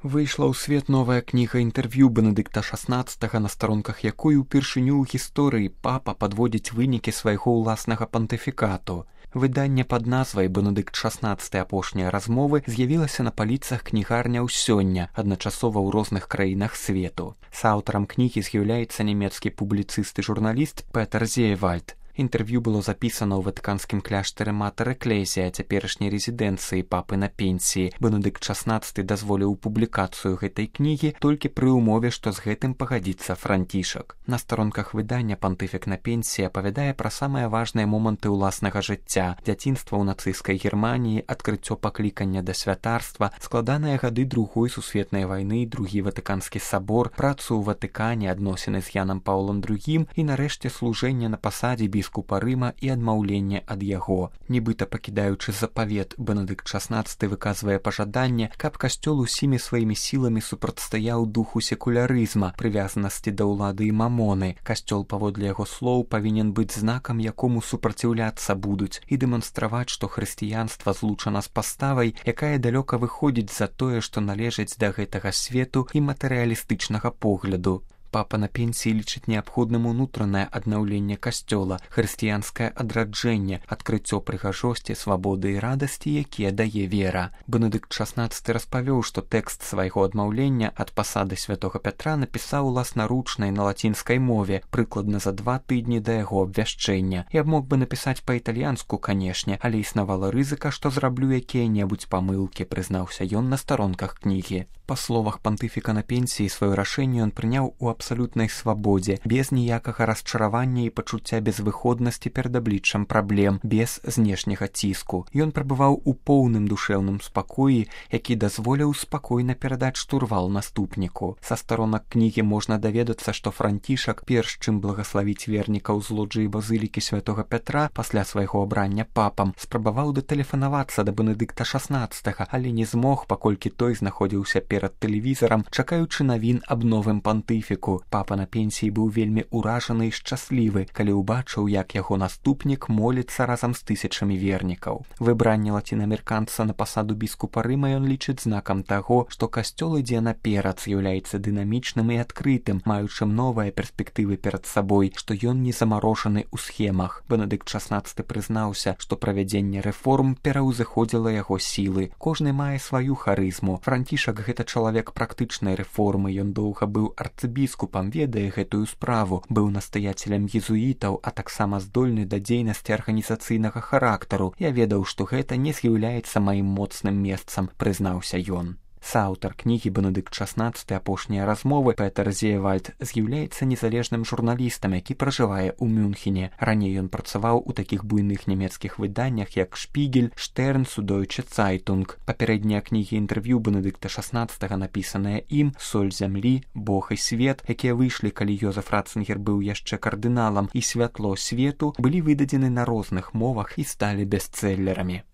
Выйшла ў свет новая кніга інтэрв'ю Бенедыкта XVI, на старонках якой упершыню ў гісторыі папа падводзіць вынікі свайго ўласнага пантыфікату. Выданне пад назвай «Бенедыкт XVI. Апошнія размовы» з'явілася на паліцах кнігарняў сёння, адначасова ў розных краінах свету. Саўтарам кнігі з'яўляецца нямецкі публіцыст і журналіст Петер Зеевальд. Інтэрв'ю было запісана ў ватыканскім кляштары Матэр Экклезія, цяперашняй рэзідэнцыі папы на пенсіі. Бенедыкт XVI дазволіў публікацыю гэтай кнігі толькі пры ўмове, што з гэтым пагадзіцца Францішак. На старонках выдання пантыфік на пенсіі апавядае пра самыя важныя моманты ўласнага жыцця: дзяцінства ў нацысцкай Германіі, адкрыццё паклікання да святарства, складаныя гады Другой сусветнай вайны, другі ватыканскі сабор, працу ў Ватыкане, адносіны з Янам Паўлам II і, нарэшце, служэнне на пасадзе біскупа Рыма і адмаўленне ад яго. Нібыта пакідаючы запавет, Бенедыкт XVI выказвае пажаданне, каб касцёл усімі сваімі сіламі супрацьстаяў духу секулярызма, прывязанасці да ўлады і мамоны. Касцёл, паводле яго слоў, павінен быць знакам, якому супраціўляцца будуць, і дэманстраваць, што хрысціянства злучана з паставай, якая далёка выходзіць за тое, што належыць да гэтага свету і матэрыялістычнага погляду. Папа на пенсіі лічыць неабходным унутранае аднаўленне касцёла, хрысціянскае адраджэнне, адкрыццё прыгажосці, свабоды і радасці, якія дае вера. Бенедыкт XVI распавёў, што тэкст свайго адмаўлення ад пасады святога Пятра напісаў уласнаручнай на лацінскай мове, прыкладна за 2 тыдні да яго абвяшчэння. Я мог бы напісаць па-італьянску, канешне, але існавала рызыка, што зраблю якія-небудзь памылкі, прызнаўся ён на старонках кнігі. Па словах пантыфіка на пенсіі, сваё рашэнне ён прыняў у абсалютнай свабодзе, без ніякага расчаравання і пачуцця безвыходнасці перад абліччам праблем, без знешняга ціску. Ён прабываў у поўным душэўным спакоі, які дазволіў спакойна перадаць штурвал наступніку. Са старонак кнігі можна даведацца, што Францішак, перш чым благаславіць вернікаў з лоджыі базылікі святога Пятра пасля свайго абрання папам, спрабаваў датэлефанавацца да Бенедыкта XVI, але не змог, паколькі той знаходзіўся перад тэлевізарам, чакаючы навін аб новым пантыфіку. Папа на пенсіі быў вельмі ўражаны і шчаслівы, калі ўбачыў, як яго наступнік моліцца разам з тысячамі вернікаў. Выбранне лацінаамерыканца на пасаду біскупа Рыма ён лічыць знакам таго, што касцёл ідзе наперад, з'яўляецца дынамічным і адкрытым, маючым новыя перспектывы перад сабой, што ён не замарожаны ў схемах. Бенедыкт XVI прызнаўся, што правядзенне рэформ пераўзыходзіла яго сілы. Кожны мае сваю харызму. Францішак гэта чалавек практычнай рэформы, ён доўга быў арцыбіскупам, ведае гэтую справу, быў настаяцелем езуітаў, а таксама здольны да дзейнасці арганізацыйнага характару. Я ведаў, што гэта не з'яўляецца маім моцным месцам, прызнаўся ён. Саўтар кнігі Бенедыкт XVI «Апошнія размовы» Петер Зеевальд з'яўляецца незалежным журналістам, які пражывае ў Мюнхене. Раней ён працаваў у такіх буйных нямецкіх выданнях, як «Шпігель», «Штерн», «Судойче Цайтунг». Папярэднія кнігі інтэрв'ю Бенедыкта XVI, напісаныя ім, «Соль зямлі», «Бог і свет», якія выйшлі, калі Йозеф Ратцынгер быў яшчэ кардыналам, і «Святло свету», былі выдадзены на розных мовах і сталі бестселлерамі.